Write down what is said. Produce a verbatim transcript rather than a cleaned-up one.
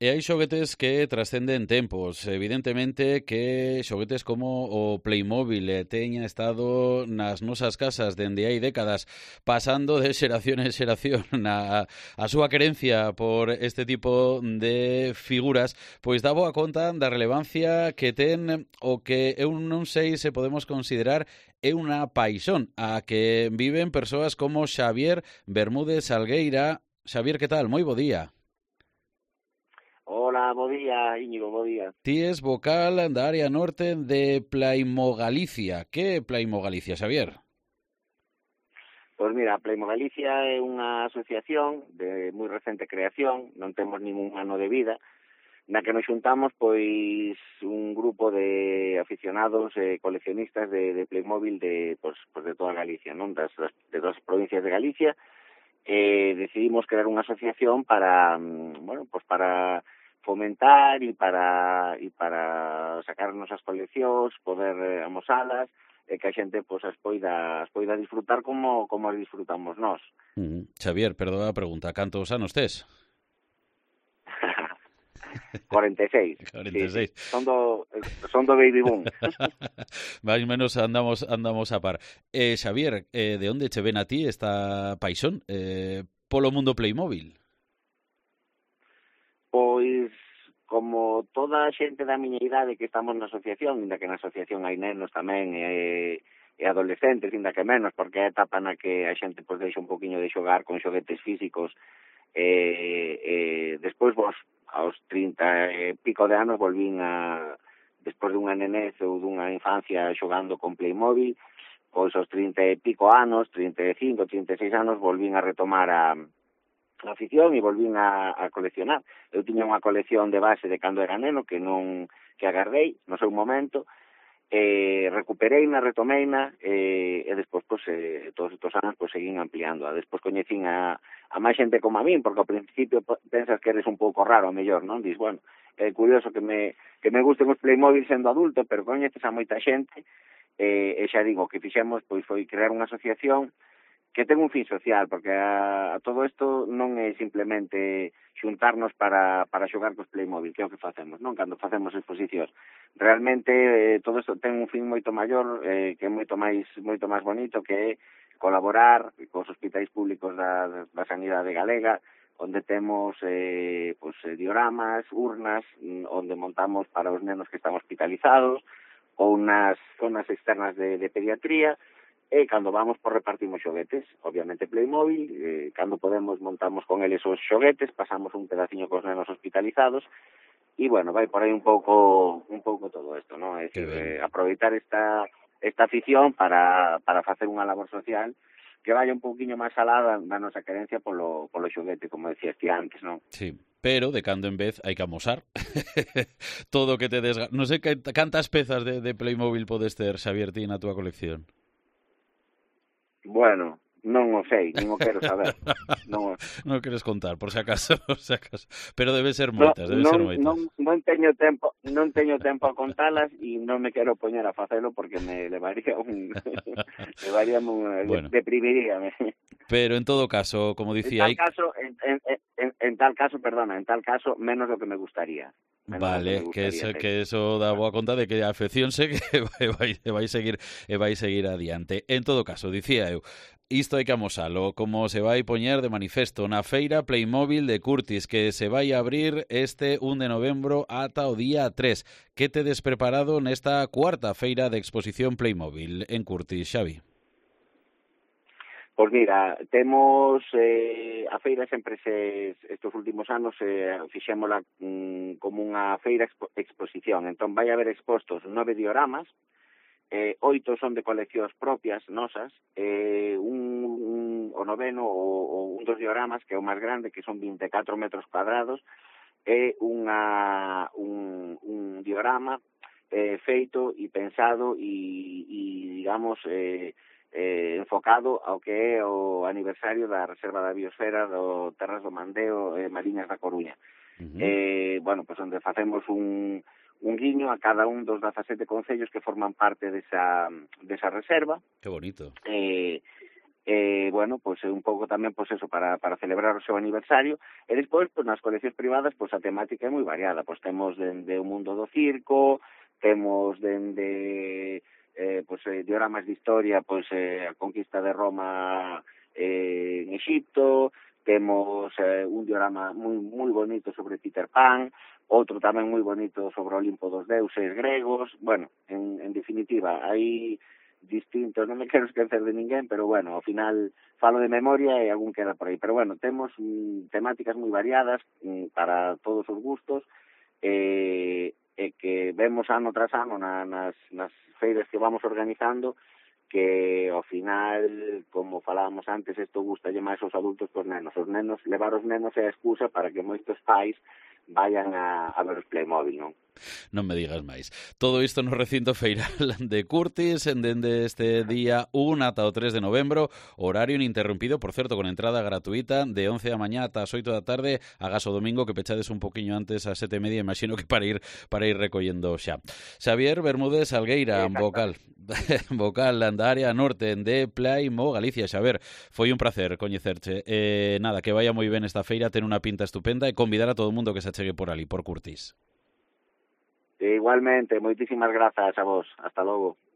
E hai xoguetes que trascenden tempos. Evidentemente que xoguetes como o Playmobil eh, teña estado nas nosas casas dende hai décadas, pasando de xeración en xeración a, a súa querencia por este tipo de figuras, pois dá boa conta da relevancia que ten o que eu non sei se podemos considerar é unha paixón a que viven persoas como Xavier Bermúdez Salgueira. Xavier, que tal? Moi bo día. Hola, bo día, Íñigo, bo día. Ti es vocal da área norte de Playmo Galicia. Que é Playmo Galicia, Xavier? Pois mira, Playmo Galicia é unha asociación de moi recente creación, non temos ningún ano de vida, na que nos xuntamos pois un grupo de aficionados e coleccionistas de, de Playmobil de, pois, pois de toda Galicia, non das, das, de todas as provincias de Galicia, e decidimos crear unha asociación para, bueno, pois para fomentar e para e para sacar nosas coleccións, poder eh, amosalas, e que a xente pois as poida as poida disfrutar como como as disfrutamos nós. Mm. Xavier, perdona a pregunta, cantos anos tes? cuarenta e seis. cuarenta e seis. Sí, sí. Son do son do baby boom. Mais menos andamos andamos a par. Eh, Xavier, eh, de onde che ven a ti esta paixón eh, polo mundo Playmobil? Pois, como toda a xente da miña idade que estamos na asociación, inda que na asociación hai nenos tamén e, e adolescentes, inda que menos, porque é a etapa na que a xente pois, deixa un poquinho de xogar con xoguetes físicos, e, e despois vos, aos trinta e pico de anos, volvín a, despois dunha nenez ou dunha infancia xogando con Playmobil, pois aos trinta e pico anos, trinta e cinco, trinta e seis anos, volvín a retomar a a afición e volvín a, a coleccionar. Eu tiña unha colección de base de cando era neno que non que agardei no seu momento, e recupereina, retomeina, e, e despois, pois, eh, todos estes anos, pois, seguín ampliando. Despois coñecín a, a máis xente como a min, porque ao principio pensas que eres un pouco raro, a mellor, non? Dis, bueno, é curioso que me, que me gusten os Playmobil sendo adulto, pero coñeces a moita xente, e, e xa digo, que fixemos, pois, foi crear unha asociación que ten un fin social, porque a, a todo isto non é simplemente xuntarnos para, para xogar cos Playmobil, que é o que facemos, non? Cando facemos exposicións. Realmente eh, todo isto ten un fin moito maior, eh, que é moito máis moito máis bonito, que é colaborar cos hospitais públicos da, da sanidade galega, onde temos eh, pues, dioramas, urnas, onde montamos para os nenos que están hospitalizados, ou nas zonas externas de, de pediatría. E cando vamos, por repartimos xoguetes, obviamente Playmobil, eh, cando podemos montamos con eles os xoguetes, pasamos un pedaciño cos nenos hospitalizados, e, bueno, vai por aí un pouco un pouco todo isto, non? É dicir, eh, aproveitar esta esta afición para, para facer unha labor social que vaya un pouquiño máis alada da nosa querencia polo, polo xoguete, como decías ti antes, non? Sí, pero de cando en vez hai que amosar todo o que te desga... Non sei que, cantas pezas de, de Playmobil podes ter, Xavier, ti na túa colección? Bueno, non o sei, nin o quero saber. Non, o... non queres contar, por si acaso, por si acaso. Pero debe ser moitas, no, debe non, ser moitas. Non, non teño tempo, non teño tempo a contalas e non me quero poñer a facelo porque me levaría un levaría un bueno. deprimiríame. Pero en todo caso, como dicía, en tal caso, en, en, en, en tal caso, perdona, en tal caso menos do que me gustaría. Vale, que, que eso que eso dá boa conta de que a afección se que vai vai seguir e vai seguir adiante. En todo caso, dicía eu, isto hai que amosalo, como se vai poñer de manifesto na feira Playmobil de Curtis, que se vai abrir este un de novembro ata o día tres. Que tedes preparado nesta cuarta feira de exposición Playmobil en Curtis, Xavi? Pois mira, temos eh, a feira sempre se, estes últimos anos eh, fixémola mm, como unha feira expo, exposición. Entón vai haber expostos nove dioramas, eh, oito son de coleccións propias nosas, eh, un, un, o noveno o, o un dos dioramas, que é o máis grande, que son vinte e catro metros cuadrados, é unha, un, un diorama eh, feito e pensado e, e digamos... Eh, Eh, enfocado ao que é o aniversario da Reserva da Biosfera do Terras do Mandeo e eh, Mariñas da Coruña. Uh-huh. Eh, bueno, pues onde facemos un, un guiño a cada un dos dezasete concellos que forman parte desa, desa reserva. Que bonito. Eh, eh, bueno, pois pues, un pouco tamén, pois pues, eso, para, para celebrar o seu aniversario, e despois, pois, nas coleccións privadas, pois pues, a temática é moi variada, pois temos dende o mundo do circo, temos dende eh, pois, eh, dioramas de historia, pois eh, a conquista de Roma eh, en Egipto, temos eh, un diorama moi moi bonito sobre Peter Pan, outro tamén moi bonito sobre o Olimpo dos deuses gregos. Bueno, en, en definitiva, hai distintos, non me quero esquecer de ninguén, pero bueno, ao final falo de memoria e algún queda por aí. Pero bueno, temos mm, temáticas moi variadas mm, para todos os gustos, e, e que vemos ano tras ano na, nas, nas feiras que vamos organizando, que ao final, como falábamos antes, isto gustalle máis aos adultos que os nenos. Os nenos, levar os nenos é a excusa para que moitos pais vayan a, a ver os Playmobil, non? Non me digas máis. Todo isto no recinto feiral de Curtis, en dende este día un ata o tres de novembro, horario ininterrumpido, por certo, con entrada gratuita, de once da mañá ata as oito da tarde, agás o domingo que pechades un poquinho antes ás sete e media, imagino que para ir para ir recollendo xa. Xavier Bermúdez Algueira, vocal, vocal da área norte de Playmo Galicia. Xavier, foi un placer coñecerche. Eh, nada, que vaya moi ben esta feira, ten unha pinta estupenda, e convidar a todo o mundo que se achegue por ali, por Curtis. Igualmente, moitísimas grazas a vos. Hasta logo.